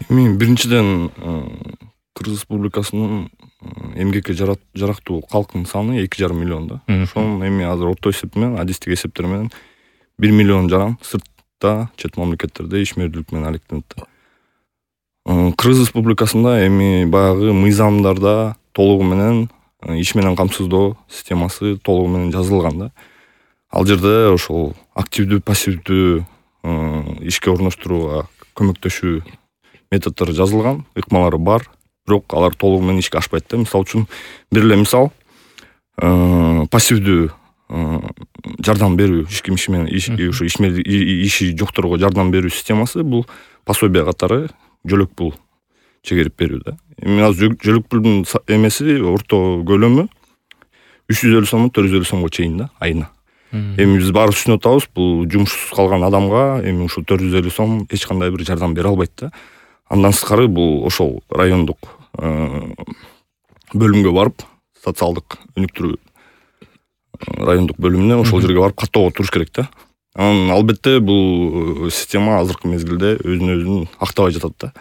Эми биринчиден Кыргыз Республикасынын эмгекке жарактуу калктын саны 2,5 миллион да. Ошонун эми азыр орто эсеп менен, адистик эсептер менен 1 миллион жаран сыртта, чет мамлекеттерде ишмердүүлүк менен алектенет да. Кыргыз Республикасында эми баягы мыйзамдарда толугу менен иш менен камсыздоо системасы толугу менен жазылган да. Ал жерде ошол активдүү, пассивдүү ишке орноштурууга көмөктөшүү методдору жазылган, ыкмалары бар, бирок алар толугу менен ишке ашпайт да. Мисалы үчүн бир эле мисал, пассивдүү жардам берүү, иш кимиши менен ушу иши жокторго жардам берүү системасы бул пособие катары жөлөк пул чегерип берүү да. Эми азыр жөлөк пулдун эмеси орто көлөмү 350 сомдон 450 сомго чейин да, айына. Эми биз баары түшүнүп атабыз, бул жумушсуз калган адамга эми ушул 450 сом эч кандай бир жардам бере албайт да. Андан сырткары бул ошол райондук бөлүмгө барып, социалдык өнүктүрүү райондук бөлүмүнө ошол жерге барып каттоого туруш керек да. Анан албетте бул система азыркы мезгилде өзүн актабай жатат да.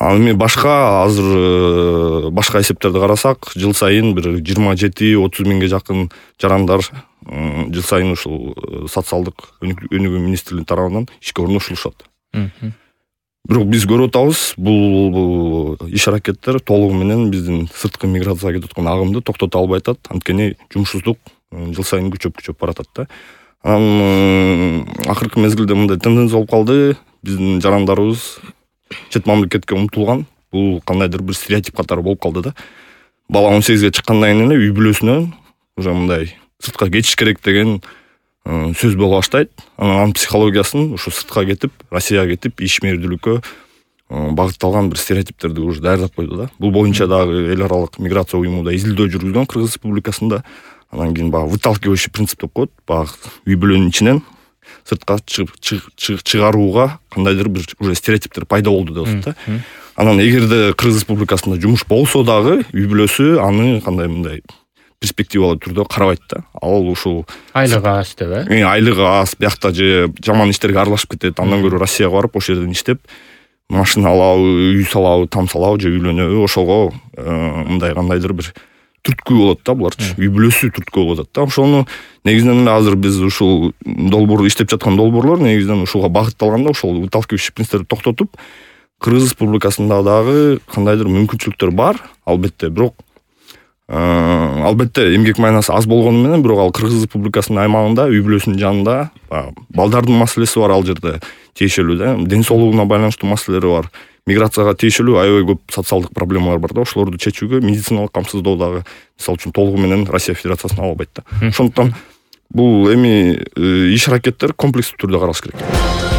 Ал эми азыр башка эсептерди карасак, жыл сайын бир 27-30 миңге жакын жарандар жыл сайын ушул социалдык өнүгүү министрлигинин тарабынан ишке орнотулушат. Бирок биз көрүп атабыз, бул иш аракеттер толугу менен биздин сырткы миграцияга кетип аткан агымды токтото албай атат. Анткени жумушсуздук жыл сайын күчөп баратат да. Анан акыркы мезгилде мындай тенденция болуп калды, биздин жарандарыбыз чет мамлекетке умтулган. Бул кандайдыр бир стереотип катары болуп калды да. Бала 18ге чыккандан кийин эле үй бүлөсүнөн уже мындай сыртка кетиш керек деген сөз боло баштайт. Анын психологиясын ушу сыртка кетип, Россияга кетип, ишмердүүлүккө багытталган бир стереотиптерди уже даярдап койду да. Бул боюнча дагы эл аралык миграция уюму да изилдөө жүргүзгөн Кыргыз Республикасында. Анан кийин баягы выталкивающий принцип деп коет. Баягы үй бүлөнүн ичинен сыртка чыгарууга кандайдыр бир уже стереотиптер пайда болду деп атат да. Анан эгерде Кыргыз Республикасында жумуш болсо дагы үй бүлөсү аны кандай мындай перспективалуу түрдө карабайт да. Ал ушул айлыгы аз деп, айлыгы аз, биякта же жаман иштерге аралашып кетет. Андан көрө Россияга барып, ошол жерден иштеп, машина алабы, үй салабы, там салабы же үйлөнөбү, ошого мындай кандайдыр бир түрткү болот да буларчы. Үй бүлөсү түрткү болуп атат да. Ошону негизинен эле азыр биз ушул долбоор иштеп жаткан долбоорлор негизинен ушуга багытталганда, ошол выталкивающий принциптерди токтотуп, Кыргыз Республикасында дагы кандайдыр мүмкүнчүлүктөр бар, албетте, бирок албетте эмгек майнасы аз болгону менен, бирок ал Кыргыз Республикасынын аймагында, үй бүлөсүнүн жанында балдардын маселеси бар ал жерде тиешелүү да, ден соолугуна байланыштуу маселелери бар, миграцияга тиешелүү аябай көп социалдык проблемалар бар да. Ошолорду чечүүгө медициналык камсыздоо дагы мисалы үчүн толугу менен Россия Федерациясына ала албайт да. Ошондуктан бул эми иш аракеттер комплекстүү түрдө каралыш керек.